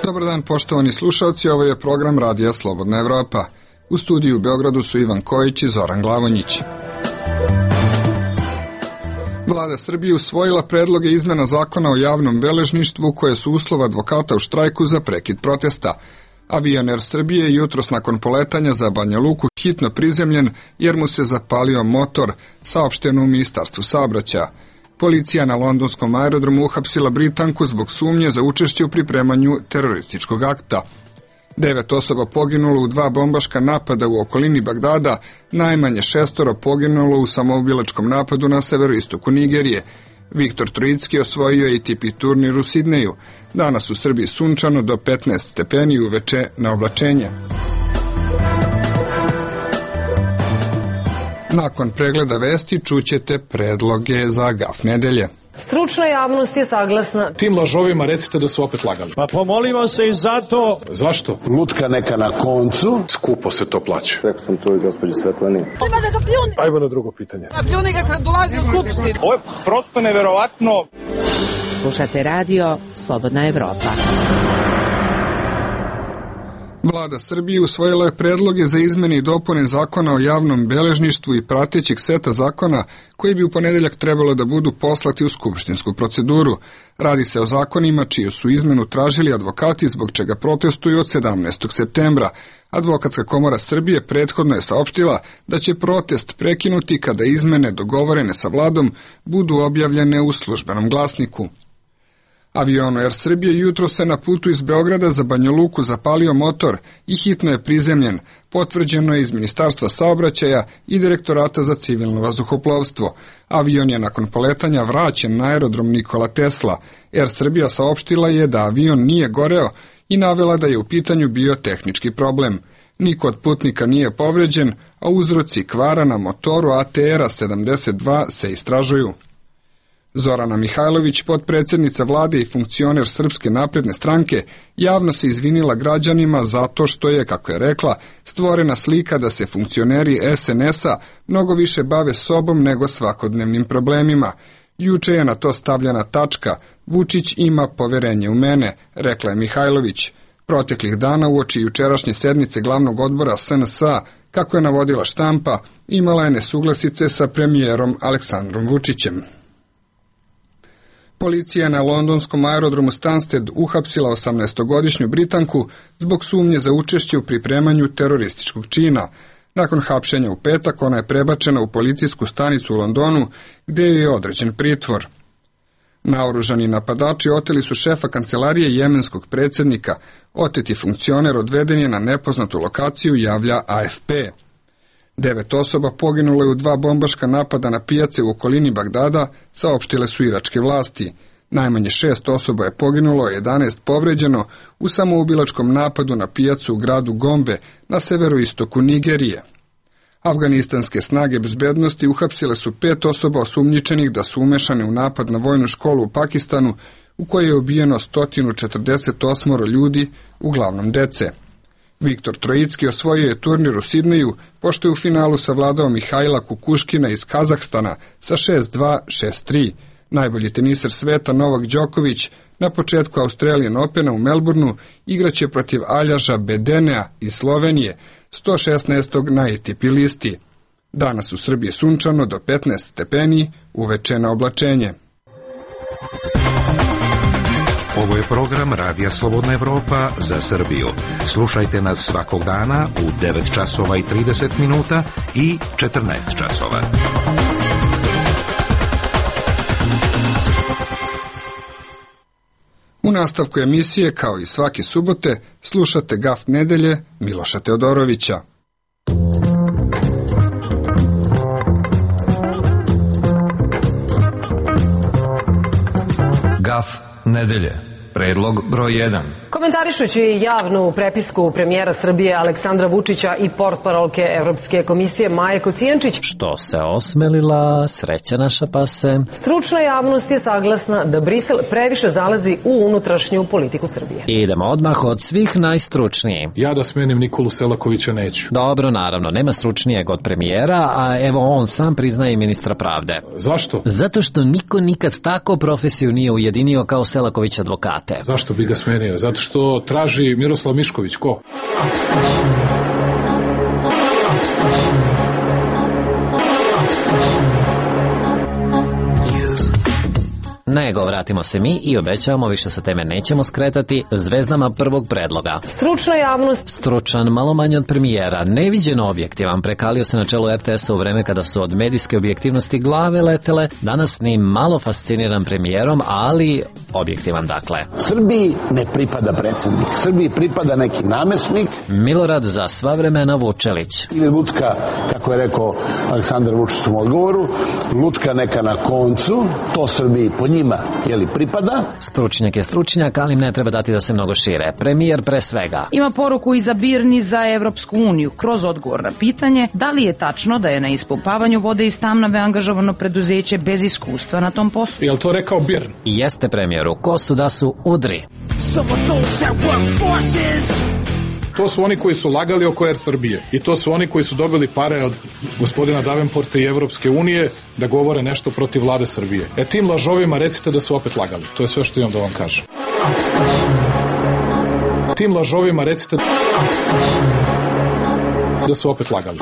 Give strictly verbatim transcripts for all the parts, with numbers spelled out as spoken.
Dobar dan, poštovani slušalci, ovo je program Radija Slobodna Evropa. U studiju u Beogradu su Ivan Kojić i Zoran Glavonjić. Vlada Srbije usvojila predloge izmena zakona o javnom beležništvu koje su uslov advokata u štrajku za prekid protesta. Avion Er Srbije je jutros nakon poletanja za Banja Luku hitno prizemljen jer mu se zapalio motor, saopšteno u Ministarstvu saobraćaja. Policija na londonskom aerodromu uhapsila Britanku zbog sumnje za učešće u pripremanju terorističkog akta. Devet osoba poginulo u dva bombaška napada u okolini Bagdada, najmanje šestoro poginulo u samoubilačkom napadu na severoistoku Nigerije. Viktor Trojicki osvojio je A T P turnir u Sidneju. Danas u Srbiji sunčano do petnaest stepeni, uveče na oblačenje. Nakon pregleda vesti čućete predloge za gaf nedelje. Stručna javnost je saglasna. Tim lažovima recite da su opet lagali. Pa pomolimo se i zato. Zašto? Lutka neka na koncu. Skupo se to plaća. Rekao sam to i gospođi Svetlani. Ima da ga pljuni. Ajmo na drugo pitanje. A pljuni ga kad dolazi u skupštinu. Ovo je prosto neverovatno. Slušate radio Slobodna Evropa. Vlada Srbije usvojila je predloge za izmene i dopune zakona o javnom beležništvu i pratećih seta zakona koji bi u ponedeljak trebalo da budu poslati u skupštinsku proceduru. Radi se o zakonima čiju su izmenu tražili advokati zbog čega protestuju od sedamnaestog septembra. Advokatska komora Srbije prethodno je saopštila da će protest prekinuti kada izmene dogovorene sa vladom budu objavljene u službenom glasniku. Avion Er Srbije jutro se na putu iz Beograda za Banja Luku zapalio motor i hitno je prizemljen, potvrđeno je iz Ministarstva saobraćaja i Direktorata za civilno vazduhoplovstvo. Avion je nakon poletanja vraćen na aerodrom Nikola Tesla. Er Srbija saopštila je da avion nije goreo i navela da je u pitanju bio tehnički problem. Niko od putnika nije povređen, a uzroci kvara na motoru A T R sedamdeset dva se istražuju. Zorana Mihajlović, potpredsjednica vlade i funkcioner Srpske napredne stranke, javno se izvinila građanima zato što je, kako je rekla, stvorena slika da se funkcioneri S N S-a mnogo više bave sobom nego svakodnevnim problemima. Juče je na to stavljena tačka, Vučić ima poverenje u mene, rekla je Mihajlović. Proteklih dana uoči jučerašnje sednice glavnog odbora S N S-a, kako je navodila štampa, imala je nesuglasice sa premijerom Aleksandrom Vučićem. Policija je na londonskom aerodromu Stansted uhapsila osamnaestogodišnju Britanku zbog sumnje za učešće u pripremanju terorističkog čina. Nakon hapšenja u petak ona je prebačena u policijsku stanicu u Londonu gdje je određen pritvor. Naoružani napadači oteli su šefa kancelarije jemenskog predsjednika. Oteti funkcioner odveden je na nepoznatu lokaciju, javlja A F P. Devet osoba poginulo je u dva bombaška napada na pijace u okolini Bagdada, saopštile su iračke vlasti. Najmanje šest osoba je poginulo, a jedanaest povređeno u samoubilačkom napadu na pijacu u gradu Gombe na severoistoku Nigerije. Afganistanske snage bezbednosti uhapsile su pet osoba osumnjičenih da su umešane u napad na vojnu školu u Pakistanu, u kojoj je ubijeno sto četrdeset osam ljudi, uglavnom dece. Viktor Trojicki osvojio je turnir u Sidneju, pošto je u finalu savladao Mihajla Kukuškina iz Kazahstana sa šest dva, šest tri. Najbolji teniser sveta Novak Đoković na početku Australian Opena u Melbourneu igraće protiv Aljaža Bedenea iz Slovenije, sto šesnaestog na A T P listi. Danas u Srbiji sunčano do petnaest stepeni, uveče na oblačenje. Ovo je program Radija Slobodna Evropa za Srbiju. Slušajte nas svakog dana u devet časova i trideset minuta i četrnaest časova. U nastavku emisije, kao i svake subote, slušate gaf nedelje Miloša Teodorovića. Gaf nedelje. Predlog broj jedan. Komentarišući javnu prepisku premijera Srbije Aleksandra Vučića i portparolke Evropske komisije Maje Kocijančić, što se osmelila, sreća naša pase, stručna javnost je saglasna da Brisel previše zalazi u unutrašnju politiku Srbije. Idemo odmah od svih najstručniji. Ja da smenim Nikolu Selakovića neću. Dobro, naravno, nema stručnijeg od premijera, a evo on sam priznaje ministra pravde. Zašto? Zato što niko nikad tako profesiju nije ujedinio kao Selaković advokata. date. Zašto bi ga smenio? Zato što traži Miroslav Mišković. Ko? Nego, vratimo se mi i obećavamo više sa teme nećemo skretati zvezdama prvog predloga. Stručna javnost. Stručan, malo manje od premijera, neviđeno objektivan, prekalio se na čelu er te esa u vreme kada su od medijske objektivnosti glave letele, danas ni malo fasciniran premijerom, ali objektivan dakle. Srbiji ne pripada predsjednik, Srbiji pripada neki namesnik. Milorad za sva vremena Vučelić. Ili lutka, kako je rekao Aleksandar Vučić u odgovoru, lutka neka na koncu, to Srbiji po njima jeli pripada. Stručnjak je stručnjak, ali im ne treba dati da se mnogo šire. Premijer pre svega. Ima poruku i za Birni za Evropsku uniju kroz odgovor na pitanje da li je tačno da je na ispumpavanju vode iz Tamnave angažovano preduzeće bez iskustva na tom poslu. Je li to rekao Birn? I jeste premijeru, ko su da su udri. To su oni koji su lagali oko Er Srbije i to su oni koji su dobili pare od gospodina Davenporta i Evropske unije da govore nešto protiv vlade Srbije. E tim lažovima recite da su opet lagali. To je sve što imam da vam kažem. Tim lažovima recite da su opet lagali.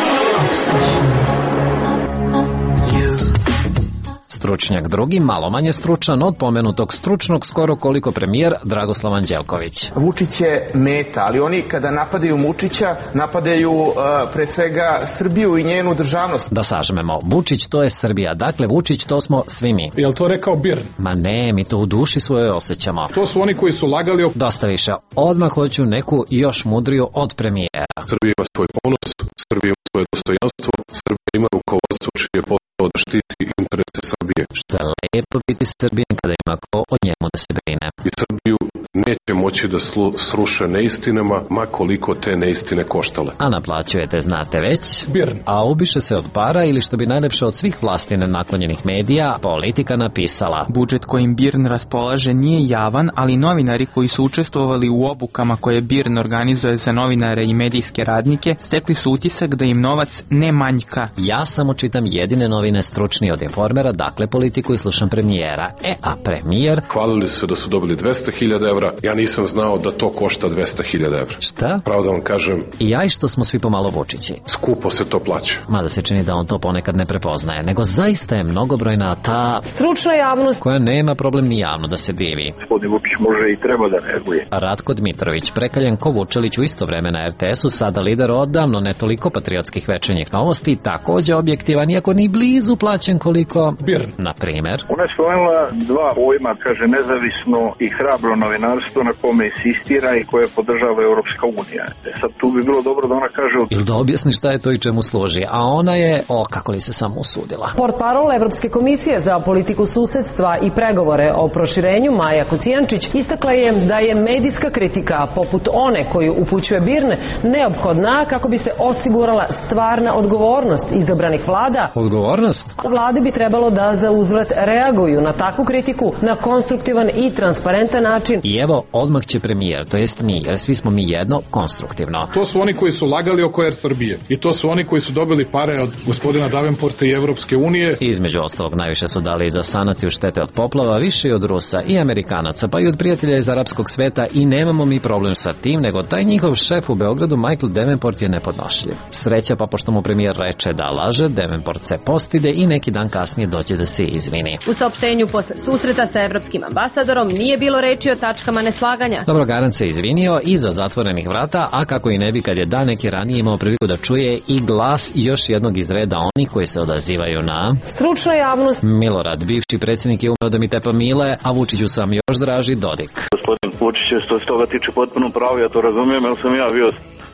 Stručnjak drugi, malo manje stručan od pomenutog stručnog, skoro koliko premijer Dragoslav Anđelković. Vučić je meta, ali oni kada napadaju Vučića, napadaju uh, pre svega Srbiju i njenu državnost. Da sažmemo, Vučić to je Srbija, dakle Vučić to smo svi mi. Je li to rekao Birn? Ma ne, mi to u duši svoje osjećamo. To su oni koji su lagali o... Dosta više, odmah hoću neku još mudriju od premijera. Srbija ima svoj ponos, Srbija ima svoje dostojanstvo, Srbija ima rukovodstvo čije posao da štiti interese Srbije. Što je lepo biti Srbijan kada ima ko o njemu da se brine. I Srbiju neće moći da slu, sruše neistinama, ma koliko te neistine koštale. A naplaćujete, znate već, Birn. A ubiše se od para ili što bi najlepše od svih vlasti naklonjenih medija, Politika napisala. Budžet kojim Birn raspolaže nije javan, ali novinari koji su učestvovali u obukama koje Birn organizuje za novinare i medijske radnike, stekli su utisak da im novac ne manjka. Ja samo čitam jedine novine stručni od Informera, dakle Politiku i slušam premijera. E, a premijer... Hvalili su se da su dobili dvesta hiljada evra, ja nisam znao da to košta dvesta hiljada evra. Šta? Pravo da vam kažem... I ja i što smo svi pomalo Vučići. Skupo se to plaća. Mada se čini da on to ponekad ne prepoznaje, nego zaista je mnogobrojna ta... stručna javnost koja nema problem ni javno da se divi. Gospodin Vučić može i treba da reaguje. Ratko Dmitrović, prekaljen ko Vučelić u isto vreme na er te esu, sada lider odavno ne toliko patriotskih večernjih novosti, takođe objektivan, iako ni blizu plaćen koliko... Birn. Na primer... Ona je spomenula dva pojma, kaže nezavisno i hrabro novinarstvo na kome insistira i koje podržava Europska unija. E sad tu bi bilo dobro da ona kaže... Ili da objasni šta je to i čemu služi, a ona je, o, kako li se samo usudila. Portparol Evropske komisije za politiku susedstva i pregovore o proširenju Maja Kocijančić istakla je da je medijska kritika poput one koju upućuje Birn neophodna kako bi se osigurala stvarna odgovornost izabranih vlada. Odgovornost? Vlade bi trebalo da za uzvrat reaguju na takvu kritiku na konstruktivan i transparentan način. I evo, odmah će premijer, to jest mi, jer svi smo mi jedno, konstruktivno. To su oni koji su lagali oko Er Srbije i to su oni koji su dobili pare od gospodina Davenporta i Evropske unije. Između ostalog, najviše su dali za sanaciju štete od poplava, više i od Rusa i Amerikanaca, pa i od prijatelja iz arapskog sveta i nemamo mi problem sa tim, nego taj njihov šef u Beogradu, Michael Davenport, je nepodnošljiv. Sreća pa pošto mu premijer reče da laže, Davenport se postide i neki dan kasnije doće da se izvini. U saopštenju posle susreta sa evropskim ambasadorom nije bilo reči o tačkama neslaganja. Dobro, Garant se izvinio iza zatvorenih vrata, a kako i ne bi kad je dan neki ranije imao priliku da čuje i glas još jednog iz reda onih koji se odazivaju na... stručna javnost. Milorad, bivši predsjednik, je umeo da mi tepa mile, a Vučiću sam još draži Dodik. Gospodin Vučić je što se toga tiče potpuno pravo, ja to razumijem, jer sam ja bio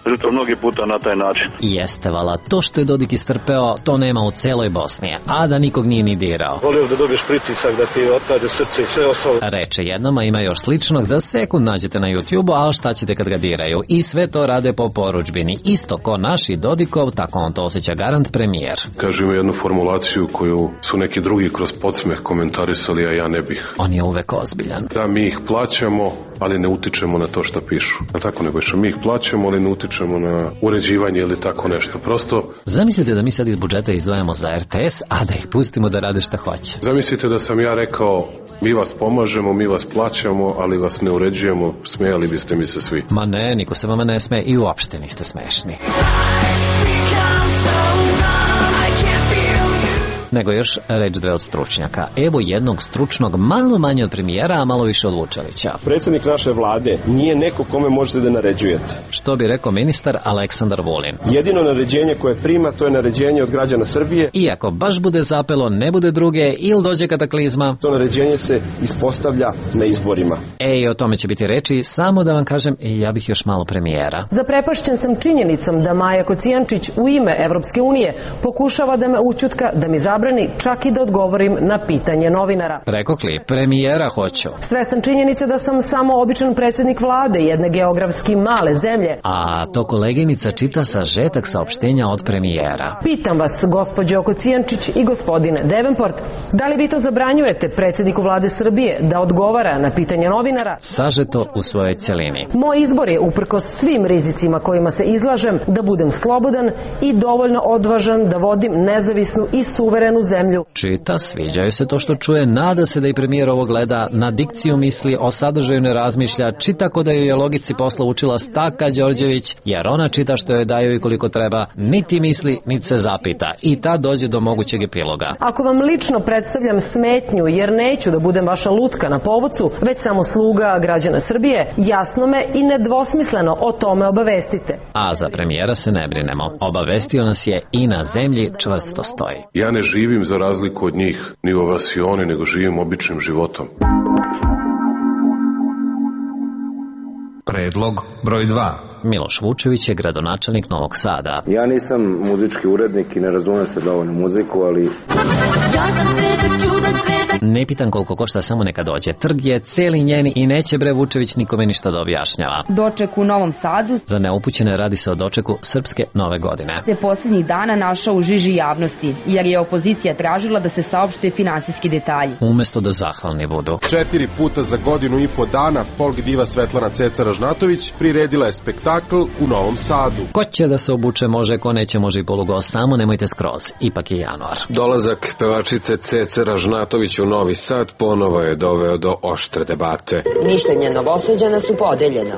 žrtva mnogi puta na taj način. Jeste, vala, to što je Dodik istrpeo, to nema u celoj Bosni, a da nikog nije ni dirao. Volio da dobiješ pritisak, da ti otkaže srce i sve ostalo. Reče jednom, a ima još sličnog, za sekund nađete na YouTube-u, ali šta ćete kad ga diraju? I sve to rade po poručbini. Isto ko naši Dodikov, tako on to osjeća Garant premijer. Kaže, ima jednu formulaciju koju su neki drugi kroz podsmeh komentarisali, a ja ne bih. On je uvek ozbiljan. Da, mi ih plaćamo, ali ne utičemo na to šta pišu. A tako nego što mi ih plaćamo, ali ne utičemo utičemo na uređivanje ili tako nešto. Prosto... Zamislite da mi sad iz budžeta izdvajamo za er te es, a da ih pustimo da rade šta hoće. Zamislite da sam ja rekao, mi vas pomažemo, mi vas plaćamo, ali vas ne uređujemo, smijali biste mi se svi. Ma ne, niko se vama ne smeje i uopšte niste smešni. Nego još reč dve od stručnjaka. Evo jednog stručnog, malo manje od premijera, a malo više od Vučevića. Predsjednik naše vlade nije neko kome možete da naređujete. Što bi rekao ministar Aleksandar Vulin. Jedino naređenje koje prima, to je naređenje od građana Srbije. Iako baš bude zapelo, ne bude druge ili dođe kataklizma, to naređenje se ispostavlja na izborima. E, i o tome će biti reči, samo da vam kažem, ja bih još malo premijera. Zaprepašćen sam činjenicom da Maja Kocijančić u ime Evropske unije pokušava da me ućutka, da mi zabrani čak i da odgovorim na pitanje novinara. Rekokli, premijera hoću. Svestan činjenice da sam samo običan predsjednik vlade jedne geografski male zemlje. A to koleginica čita sažetak saopštenja od premijera. Pitam vas, gospođo Kocijančić i gospodine Davenport, da li vi to zabranjujete predsjedniku vlade Srbije da odgovara na pitanje novinara? Sažeto u svojoj celini. Moj izbor je, uprkos svim rizicima kojima se izlažem, da budem slobodan i dovoljno odvažan da vodim nezavisnu i suverenu zemlju. Čita, sviđaju se to što čuje, nada se da i premijer ovo gleda, na dikciju misli, o sadržaju ne razmišlja, čita ko da ju je logici posla učila Staka Đorđević, jer ona čita što joj daju i koliko treba, niti misli, niti se zapita. I ta dođe do mogućeg epiloga. Ako vam lično predstavljam smetnju, jer neću da budem vaša lutka na povucu, već samo sluga građana Srbije, jasno me i nedvosmisleno o tome obavestite. A za premijera se ne brinemo. Obavestio nas je i na zemlji čvrsto stoji. Ja ne živim za razliku od njih, ni u ovasioni, nego živim običnim životom. Predlog broj dva. Miloš Vučević je gradonačelnik Novog Sada. Ja nisam muzički urednik i ne razumem se dovoljno muziku, ali... Ja sam cvetak, čudan cvetak. Ne pitam koliko košta, samo neka dođe. Trg je celi njeni i neće bre Vučević nikome ništa da objašnjava. Doček u Novom Sadu. Za neupućene radi se o dočeku Srpske nove godine. Se posljednjih dana našao u žiži javnosti, jer je opozicija tražila da se saopšte finansijski detalji. Umesto da zahvalni budu. Četiri puta za godinu i po dana folk diva Svetlana Ceca Ražnatović priredila je spektakl u Novom Sadu. Ko će da se obuče može, ko neće može i polugo, samo nemojte skroz, ipak je januar. Dolazak pevačice Cece Ražnatović u Novi Sad ponovo je doveo do oštre debate. Mišljenja Novosađana su podeljena.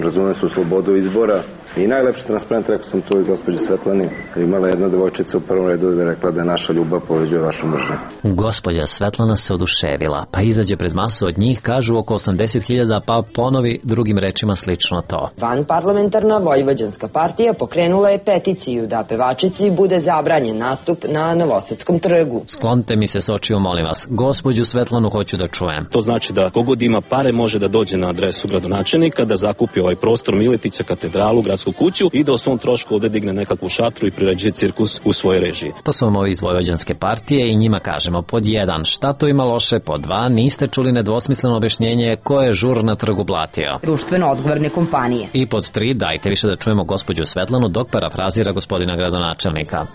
Razume su slobodu izbora i najlepši transparent, rekao sam to i gospođi Svetlani, imala jedna devojčica u prvom redu da je rekla da je naša ljubav poveđuje vašu mržnju. Gospođa Svetlana se oduševila, pa izađe pred masu od njih, kažu oko osamdeset hiljada, pa ponovi drugim rečima slično to. Vanparlamentarna Vojvođanska partija pokrenula je peticiju da pevačici bude zabranjen nastup na Novosadskom trgu. Sklonite mi se s očiju, molim vas. Gospođu Svetlanu hoću da čujem. To znači da kogod ima pare može da dođe na adresu gradonačelnika, da zakupi ovaj prostor Miletića, katedralu, gradsku kuću i da o svom trošku ovde digne nekakvu šatru i priređuje cirkus u svojoj režiji. To su vam ovi iz Vojvođanske partije i njima kažemo pod jedan, šta to ima loše, pod dva, niste čuli nedvosmisleno objašnjenje ko je žur na trgu blatio. Društveno odgovorne kompanije. I pod tri, dajte više da čujemo gospođu Svetlanu dok parafrazira gospodina gradonačelnika.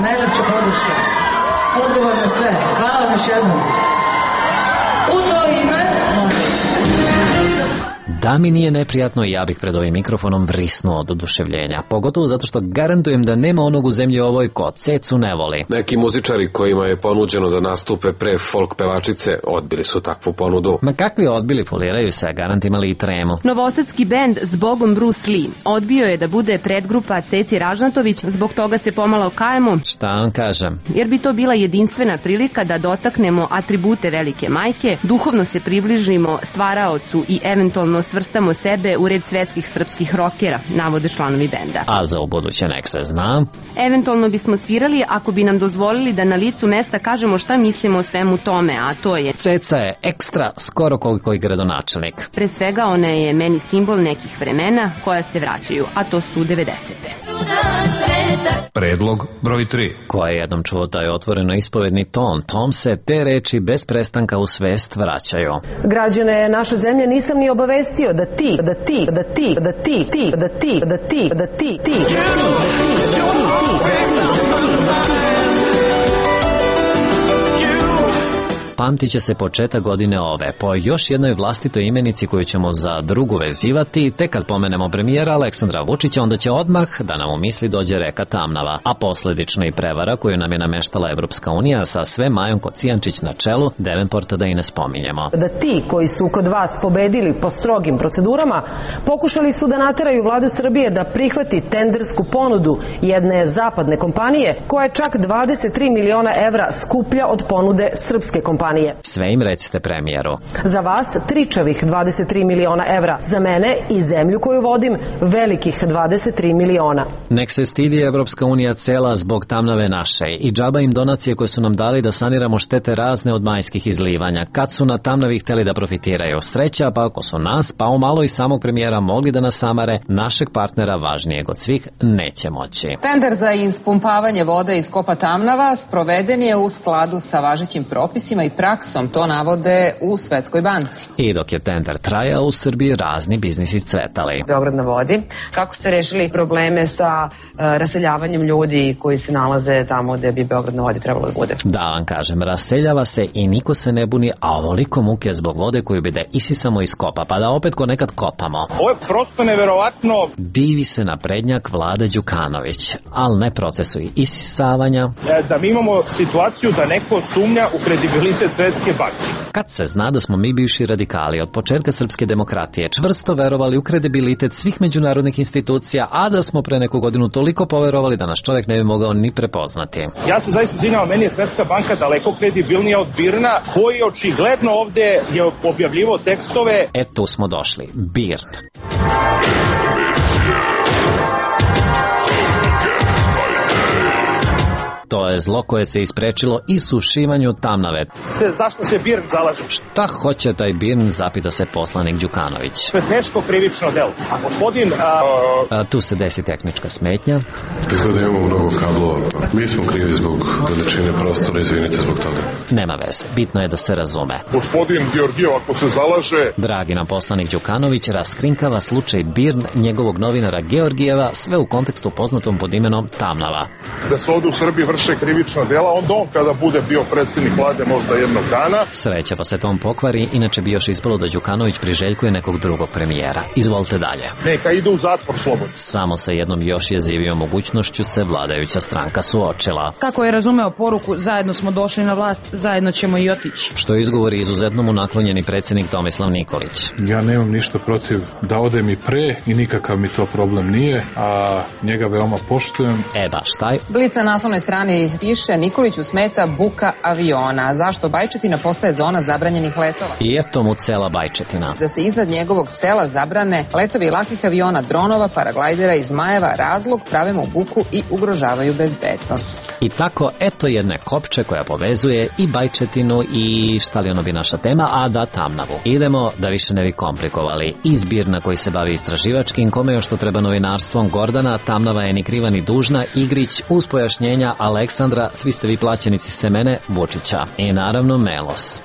Najlepša podrška. Odgovor na sve. Hvala vam još jednom. U to ime... Da mi nije neprijatno, ja bih pred ovim mikrofonom vrisnuo od oduševljenja. Pogotovo zato što garantujem da nema onog u zemlji ovoj ko Cecu ne voli. Neki muzičari kojima je ponuđeno da nastupe pre folk pevačice odbili su takvu ponudu. Ma kakvi odbili, foliraju se, garant imali i tremu. Novosadski bend Zbogom Bruce Lee odbio je da bude predgrupa Ceci Ražnatović, zbog toga se pomalo kajemo. Šta vam kažem? Jer bi to bila jedinstvena prilika da dotaknemo atribute velike majke, duhovno se približimo stvaraocu i eventualno svrstamo sebe u red svetskih srpskih rokera, navode članovi benda. A za ubuduće nek se zna. Eventualno bismo svirali ako bi nam dozvolili da na licu mesta kažemo šta mislimo o svemu tome, a to je... Ceca je ekstra, skoro koliko i gradonačelnik. Pre svega ona je meni simbol nekih vremena koja se vraćaju, a to su devedesete. Predlog broj tri. Ko je jednom čuo taj otvoreno ispovedni ton, tom se te reči bez prestanka u svest vraćaju. Građane naše zemlje nisam ni obavestio da ti, da ti, da ti, da ti, ti, da ti, da ti, da ti, ti, da ti, pamtit će se početak godine ove po još jednoj vlastitoj imenici koju ćemo za drugu vezivati. Tek kad pomenemo premijera Aleksandra Vučića, onda će odmah da nam u misli dođe reka Tamnava, a posledično i prevara koju nam je nameštala Evropska unija sa sve Majom Kocijančić na čelu, Davenporta da i ne spominjemo. Da ti koji su kod vas pobedili po strogim procedurama, pokušali su da nateraju vladu Srbije da prihvati tendersku ponudu jedne zapadne kompanije koja je čak dvadeset tri miliona evra skuplja od ponude srpske kompanije. Sve im recite premijeru. Za vas tričavih dvadeset tri miliona evra, za mene i zemlju koju vodim velikih dvadeset tri miliona. Nek se stidi Evropska unija cela zbog Tamnave naše i džaba im donacije koje su nam dali da saniramo štete razne od majskih izlivanja. Kad su na Tamnavi hteli da profitiraju, sreća, pa ako su nas, pa umalo i samog premijera mogli da nas samare, našeg partnera važnijeg od svih neće moći. Tender za ispumpavanje vode iz kopa Tamnava sproveden je u skladu sa važećim propisima i praksom, to navode u Svetskoj banci. I dok je tender trajao, u Srbiji razni biznisi cvetali. Beograd na vodi. Kako ste rešili probleme sa uh, raseljavanjem ljudi koji se nalaze tamo gde bi Beograd na vodi trebalo da bude? Da vam kažem, raseljava se i niko se ne buni, a ovoliko muke zbog vode koju bi da isisamo iz kopa, pa da opet ko nekad kopamo. Ovo je prosto neverovatno. Divi se naprednjak Vlada Đukanović, ali ne procesu isisavanja. E, da mi imamo situaciju da neko sumnja u kredibilitet Svetske banke. Kad se zna da smo mi bivši radikali od početka srpske demokratije čvrsto verovali u kredibilitet svih međunarodnih institucija, a da smo pre neku godinu toliko poverovali da nas čovjek ne bi mogao ni prepoznati. Ja se zaista izvinjavam, meni je Svetska banka daleko kredibilnija od Birna, koji očigledno ovde je objavljivo tekstove. E, tu smo došli. Birn. To je zlo koje se isprečilo i sušivanju Tamnave. Se, zašto se Birn zalaže? Šta hoće taj Birn, zapita se poslanik Đukanović. To je teško krivično delo. A gospodin... A... A, tu se desi tehnička smetnja. Izgleda imamo mnogo kablova. Mi smo krivi zbog veličine prostora, izvinite zbog toga. Nema veze, bitno je da se razume. Gospodin Georgijev, ako se zalaže... Dragi nam poslanik Đukanović raskrinkava slučaj Birn, njegovog novinara Georgijeva, sve u kontekstu poznatom pod imenom Tamnava. Da se ovde u Srbiji vrše krivična dela, onda on kada bude bio predsjednik vlade možda jednog dana. Sreća pa se tom pokvari, inače bi još ispalo da Đukanović priželjkuje nekog drugog premijera. Izvolite dalje. Neka ide u zatvor slobodno. Samo sa jednom još jezivijom mogućnošću se vladajuća stranka suočila. Kako je razumeo poruku, zajedno smo došli na vlast, zajedno ćemo i otići. Što izgovori izuzetno mu naklonjeni predsjednik Tomislav Nikolić. Ja nemam ništa protiv da odem i pre i nikakav mi to problem nije, a njega veoma poštujem. E baš taj. Blic na naslovnoj strani piše Nikoliću smeta buka aviona. Zašto Bajčetina postaje zona zabranjenih letova? I eto mu cela Bajčetina. Da se iznad njegovog sela zabrane letovi lakih aviona, dronova, paraglajdera i zmajeva, razlog prave mu buku i ugrožavaju bezbednost. I tako, eto jedne kopče koja povezuje i Bajčetinu i šta li ono bi naša tema, a da Tamnavu. Idemo da više ne bi komplikovali. Izbir na koji se bavi istraživačkim, kome još što treba novinarstvom, Gordana, Tamnava je ni kriva ni dužna, Igrić uz pojašnjenja Aleksandra, svi ste vi plaćenici semene Vučića. I naravno Melos.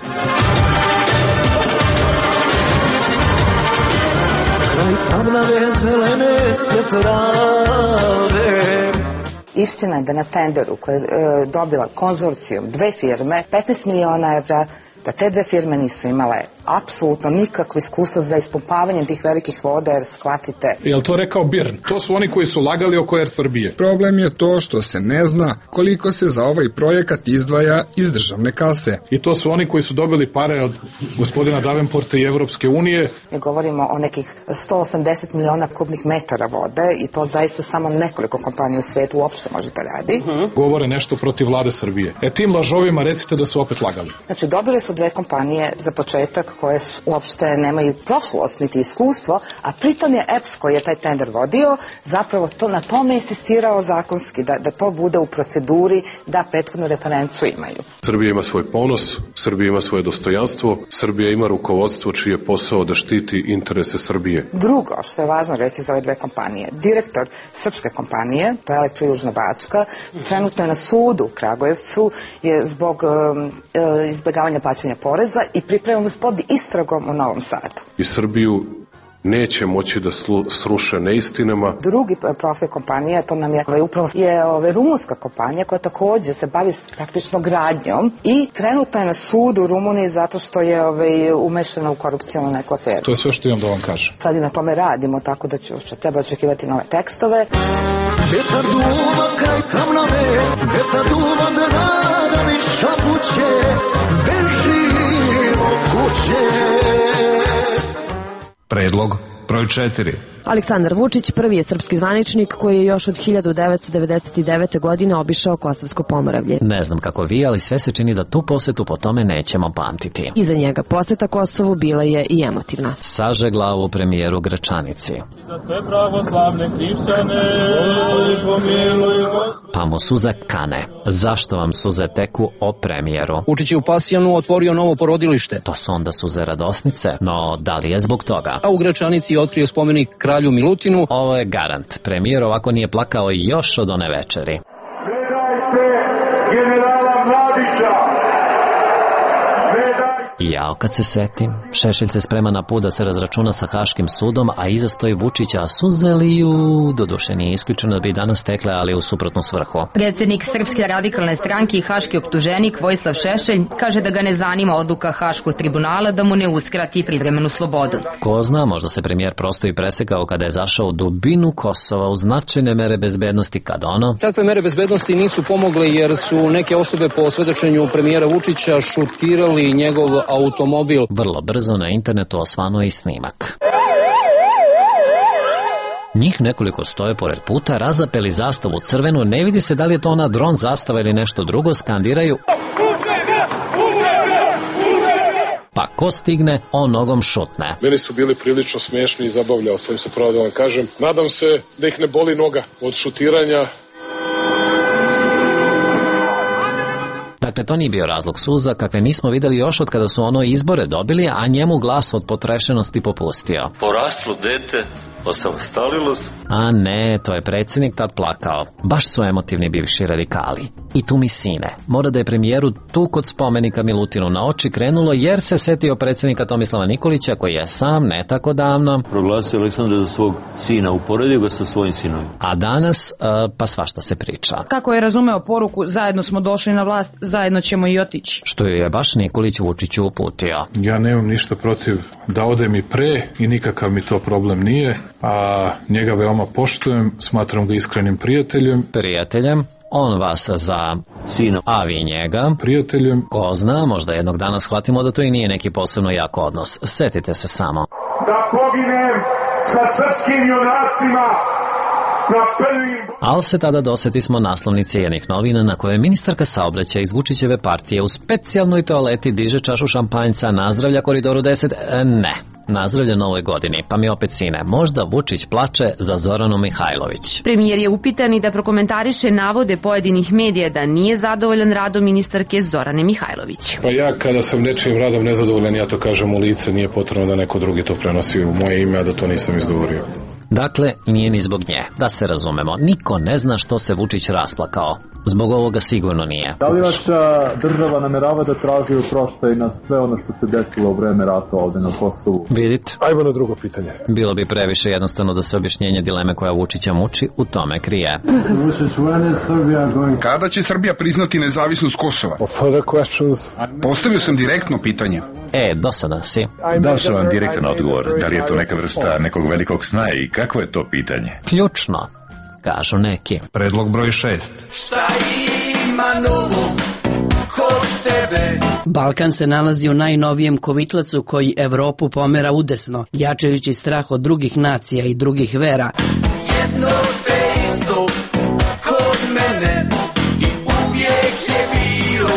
Istina je da na tenderu koje je e, dobila konzorcijum dve firme, petnaest miliona evra, da te dve firme nisu imale apsolutno nikakvo iskustvo za ispumpavanjem tih velikih voda, jer shvatite... Je li to rekao Birn? To su oni koji su lagali oko Er Srbije. Problem je to što se ne zna koliko se za ovaj projekat izdvaja iz državne kase. I to su oni koji su dobili pare od gospodina Davenporta i Evropske unije. Mi govorimo o nekih sto osamdeset miliona kubnih metara vode i to zaista samo nekoliko kompanija u svijetu uopšte može da radi. Uh-huh. Govore nešto protiv vlade Srbije. E tim lažovima recite da su opet lagali. Znači dobili su dve kompanije za početak koje su, uopšte nemaju prošlost niti iskustvo, a pritom je E P S koji je taj tender vodio zapravo to, na tome insistirao zakonski da, da to bude u proceduri, da prethodnu referencu imaju. Srbija ima svoj ponos, Srbija ima svoje dostojanstvo, Srbija ima rukovodstvo čiji je posao da štiti interese Srbije. Drugo, što je važno reći za ove dve kompanije, direktor srpske kompanije, to je Elektrojužna Bačka, trenutno je na sudu u Kragujevcu je zbog um, izbjegavanja plaćanja poreza i pripremamo se pod istragom u Novom Sadu. I Srbiju neće moći da sruše neistinama. Drugi profil kompanije, to nam je upravo je ove, rumunska kompanija koja takođe se bavi praktično gradnjom i trenutno je na sudu u Rumuniji zato što je ove, umešana u korupcijnu neku aferu. To je sve što imam da vam kažem. Sad i na tome radimo, tako da ću, će treba očekivati nove tekstove. Vetar duva kraj tamnave, vetar duva da rada mi šapuće, beži od kuće. Predlog broj četiri. Aleksandar Vučić prvi je srpski zvaničnik koji je još od hiljadu devetsto devedeset devete. godine obišao Kosovsko Pomoravlje. Ne znam kako vi, ali sve se čini da tu posetu po tome nećemo pamtiti. Iza njega poseta Kosovu bila je i emotivna. Saže glavu premijeru Gračanici. Za sve pravoslavne hrišćane, pa mu suze kane. Zašto vam suze teku o premijeru? Vučić je u Pasjanu otvorio novo porodilište. To su onda suze radosnice, no da li je zbog toga? A u Gračanici je otkrio spomenik kralju Milutinu. Ovo je garant. Premijer ovako nije plakao još od one večeri. Gledajte generala Mladića. I jao kad se setim, Šešelj se sprema na put da se razračuna sa Haškim sudom, a iza stoji Vučića, a suze liju, doduše nije isključeno da bi danas tekle, ali u suprotnu svrhu. Predsjednik Srpske radikalne stranke i haški optuženik Vojislav Šešelj kaže da ga ne zanima odluka Haškog tribunala da mu ne uskrati privremenu slobodu. Ko zna, možda se premijer prosto i presekao kada je zašao u dubinu Kosova u značajne mere bezbednosti kad ono... Takve mere bezbednosti nisu pomogle jer su neke osobe po svedočenju premijera Vučića šutirali njegov automobil. Vrlo brzo na internetu osvanuo i snimak. Njih nekoliko stoje pored puta, razapeli zastavu crvenu, ne vidi se da li je to ona dron zastava ili nešto drugo, skandiraju... Pa ko stigne, on nogom šutne. Meni su bili prilično smiješni i zabavljao sam se, pravo da vam kažem. Nadam se da ih ne boli noga od šutiranja. Dakle, to nije bio razlog suza, kakve nismo videli još od kada su ono izbore dobili, a njemu glas od potrešenosti popustio. Poraslo dete, osamostalilo se. A ne, to je predsjednik tad plakao. Baš su emotivni bivši radikali. I tu mi sine. Mora da je premijeru tu kod spomenika Milutinu na oči krenulo jer se setio predsjednika Tomislava Nikolića koji je sam ne tako davno proglasio Aleksandra za svog sina, uporedio ga sa svojim sinom. A danas uh, pa svašta se priča. Kako je razumeo poruku, zajedno smo došli na vlast, zajedno ćemo i otići. Što je baš Nikolić Vučiću uputio. Ja nemam ništa protiv da odem i pre i nikakav mi to problem nije, a njega veoma poštujem, smatram ga iskrenim prijateljem. Prijateljem? On vas za sina, a vi njega prijateljem. Ko zna, možda jednog dana shvatimo da to i nije neki posebno jak odnos. Setite se samo. Da poginem sa srpskim junacima na prvim... Al se tada doseti smo naslovnice jednih novina na koje ministarka saobraćaja iz Vučićeve partije u specijalnoj toaleti diže čašu šampanjca, nazdravlja Koridoru deset. E, ne. Nazdravlja novoj godini, pa mi opet sine, možda Vučić plače za Zoranu Mihajlović. Premijer je upitan i da prokomentariše navode pojedinih medija da nije zadovoljan radom ministarke Zorane Mihajlović. Pa ja kada sam nečijim radom nezadovoljan, ja to kažem u lice, nije potrebno da neko drugi to prenosi u moje ime, a da to nisam izgovorio. Dakle, nije ni zbog nje, da se razumemo, niko ne zna što se Vučić rasplakao. Zbog ovoga sigurno nije. Da li vaša država namerava da traži oproštaj na sve ono što se desilo u vreme rata ovde na Kosovu? Vidite? Ajmo na drugo pitanje. Bilo bi previše jednostavno da se objašnjenje dileme koja Vučića muči u tome krije. Kada će Srbija priznati nezavisnost Kosova? Postavio sam direktno pitanje. E, dosadan si. Dao sam vam direktan odgovor. Da li je to neka vrsta nekog velikog sna i kako je to pitanje? Ključno, kažu neki. Predlog broj šest. Šta ima novo kod tebe? Balkan se nalazi u najnovijem kovitlacu koji Evropu pomera udesno, jačajući strah od drugih nacija i drugih vera. Jedno te isto kod mene i uvijek je bilo.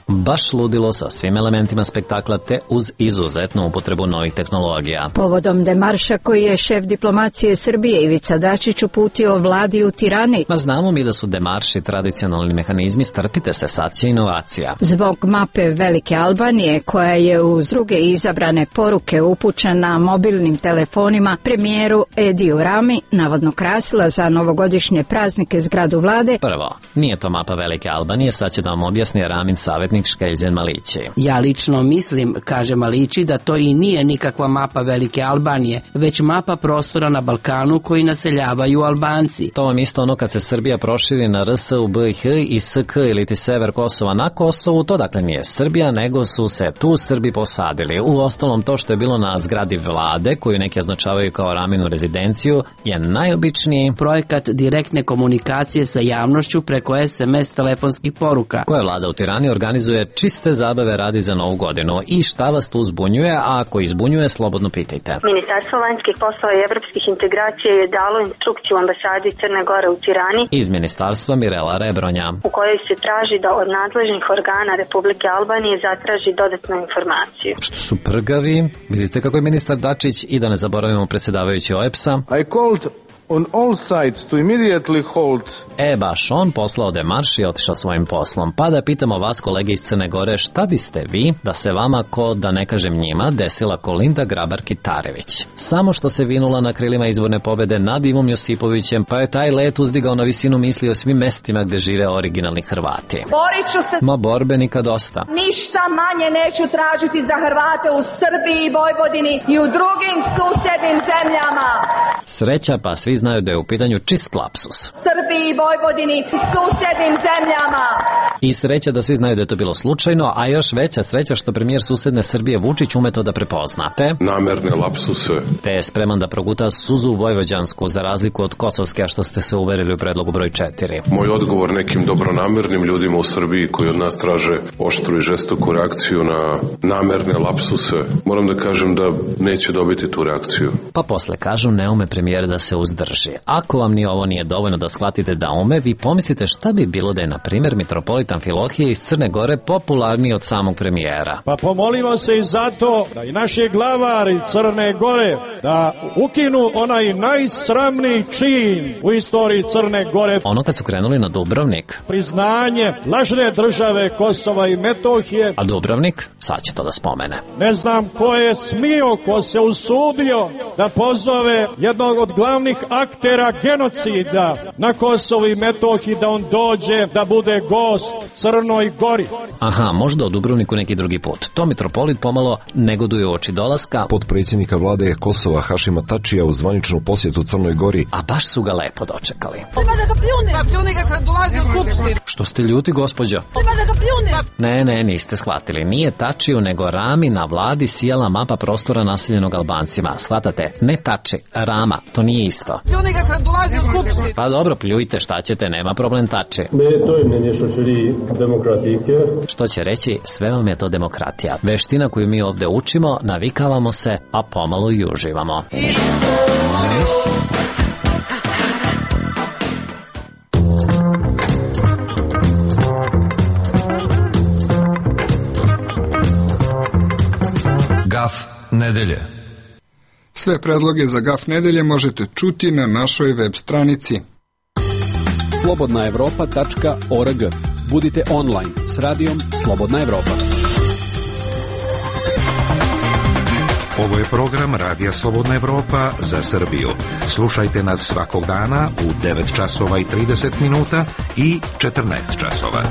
Baš ludilo sa svim elementima spektakla te uz izuzetnu upotrebu novih tehnologija. Povodom demarša koji je šef diplomacije Srbije Ivica Dačić uputio vladi u Tirani. Ma znamo mi da su demarši tradicionalni mehanizmi, strpite se, sad će inovacija. Zbog mape Velike Albanije koja je uz druge izabrane poruke upućena mobilnim telefonima premijeru Ediju Rami navodno krasila za novogodišnje praznike zgradu vlade. Prvo, nije to mapa Velike Albanije, sad će da vam objasni Ramin savjetnik Škeljzen Malići. Ja lično mislim, kaže Malići, da to i nije nikakva mapa Velike Albanije, već mapa prostora na Balkanu koji naseljavaju Albanci. To vam isto ono kad se Srbija proširi na R S u B i H i S K ili ti sever Kosova na Kosovu, to dakle nije Srbija, nego su se tu Srbi posadili. U ostalom to što je bilo na zgradi vlade, koju neki označavaju kao Raminu rezidenciju, je najobičniji projekat direktne komunikacije sa javnošću preko S M S telefonskih poruka, koje vlada u Tirani organizuje čiste zabave radi za Novu godinu. I šta vas tu zbunjuje, a ako izbunjuje, slobodno pitajte. Ministarstvo vanjskih poslova i evropskih integracija je dalo instrukciju ambasadi Crne Gore u Tirani iz ministarstva Mirela Rebronja, u kojoj se traži da od nadležnih organa Republike Albanije zatraži dodatnu informaciju. Što su prgavi, vidite kako je ministar Dačić i da ne zaboravimo predsjedavajući O E B S-a. I called on all sides to immediately hold. E, baš on poslao demarš i otišao svojim poslom. Pa da pitamo vas, kolege iz Crne Gore, šta biste vi da se vama, ko da ne kažem njima, desila Kolinda Grabar-Kitarević? Samo što se vinula na krilima izborne pobjede nad Ivom Josipovićem, pa je taj let uzdigao na visinu misli o svim mestima gde žive originalni Hrvati. Borit ću se. Ma borbenika dosta. Ništa manje neću tražiti za Hrvate u Srbiji i Vojvodini i u drugim susednim zemljama. Sreća, pa svi znaju da je u pitanju čist lapsus. Srbiji i Vojvodini i susednim zemljama. I sreća da svi znaju da je to bilo slučajno, a još veća sreća što premijer susedne Srbije Vučić ume to da prepozna. Te namerne lapsuse. Te je spreman da proguta suzu vojvođansku za razliku od kosovske, a što ste se uverili u predlogu broj četiri. Moj odgovor nekim dobronamernim ljudima u Srbiji koji od nas traže oštru i žestoku reakciju na namerne lapsuse, moram da kažem da neće dobiti tu reakciju. Pa posle kažu ne ume premijer da se uzdrži. Ako vam ni ovo nije dovoljno da shvatite da ume, vi pomislite šta bi bilo da je, na primjer, mitropolitan Filohije iz Crne Gore popularniji od samog premijera. Pa pomolimo se i zato da i naši glavari Crne Gore da ukinu onaj najsramniji čin u istoriji Crne Gore. Ono kad su krenuli na Dubrovnik. Priznanje lažne države Kosova i Metohije. A Dubrovnik? Sad će to da spomene. Ne znam ko je smio, ko se usudio da pozove jednog od glavnih aktera genocida na Kosovu i Metohiji da on dođe da bude gost Crnoj Gori. Aha, možda u Dubrovniku neki drugi put. To mitropolit pomalo negoduje u oči dolaska potpredsjednika vlade Kosova Hašima Tačija u zvaničnu posjetu Crnoj Gori. A baš su ga lepo dočekali. Ima da ga pljune. Pa pljune ga kad dolazi od Skupštine. Što ste ljuti, gospođo? Ima da ga pljune. Ne, ne, niste shvatili. Nije Tačiju, nego Rami na vladi sijala mapa prostora naseljenog Albancima. Shvatate? Ne Tači, Rama, to nije isto. Pljune ga kad dolazi od Skupštine. Pa dobro, pljujte, šta ćete, nema problem Tači. Ne, to je meni što čeri demokratike. Što će reći, sve vam je to demokratija. Veština koju mi ovde učimo, navikavamo se, a pomalo i uživamo. Gaf nedelje. Sve predloge za Gaf nedelje možete čuti na našoj web stranici slobodna evropa tačka org. Budite online s radijom Slobodna Evropa. Ovo je program Radija Slobodna Evropa za Srbiju. Slušajte nas svakog dana u devet časova i trideset minuta i četrnaest časova.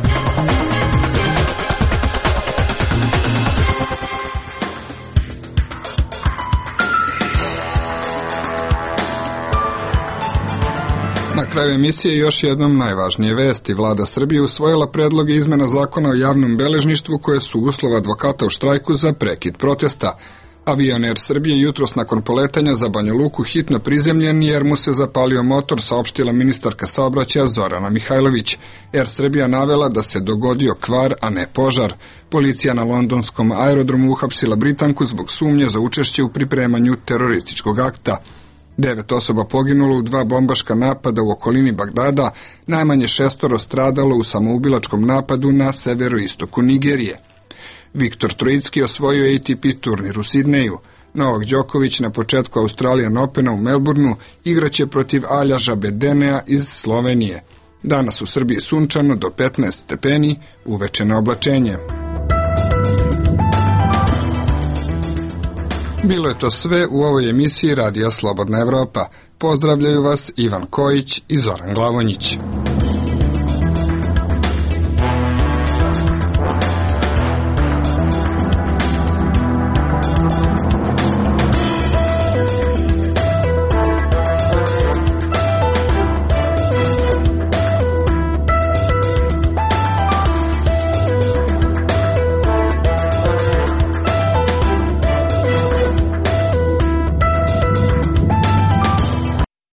Na kraju emisije još jednom najvažnije vesti. Vlada Srbije usvojila predloge izmena zakona o javnom beležništvu koje su uslov advokata u štrajku za prekid protesta. Avion Air Srbije jutros nakon poletanja za Banja Luku hitno prizemljen jer mu se zapalio motor, saopštila ministarka saobraćaja Zorana Mihajlović. Air Srbija navela da se dogodio kvar, a ne požar. Policija na londonskom aerodromu uhapsila Britanku zbog sumnje za učešće u pripremanju terorističkog akta. Devet osoba poginulo u dva bombaška napada u okolini Bagdada, najmanje šestoro stradalo u samoubilačkom napadu na severoistoku Nigerije. Viktor Trojicki osvojio A T P turnir u Sidneju. Novak Đoković na početku Australian Opena u Melbourneu igraće protiv Aljaža Bedenea iz Slovenije. Danas u Srbiji sunčano do petnaest stepeni, uveče na oblačenje. Bilo je to sve u ovoj emisiji Radija Slobodna Evropa. Pozdravljaju vas Ivan Kojić i Zoran Glavonjić.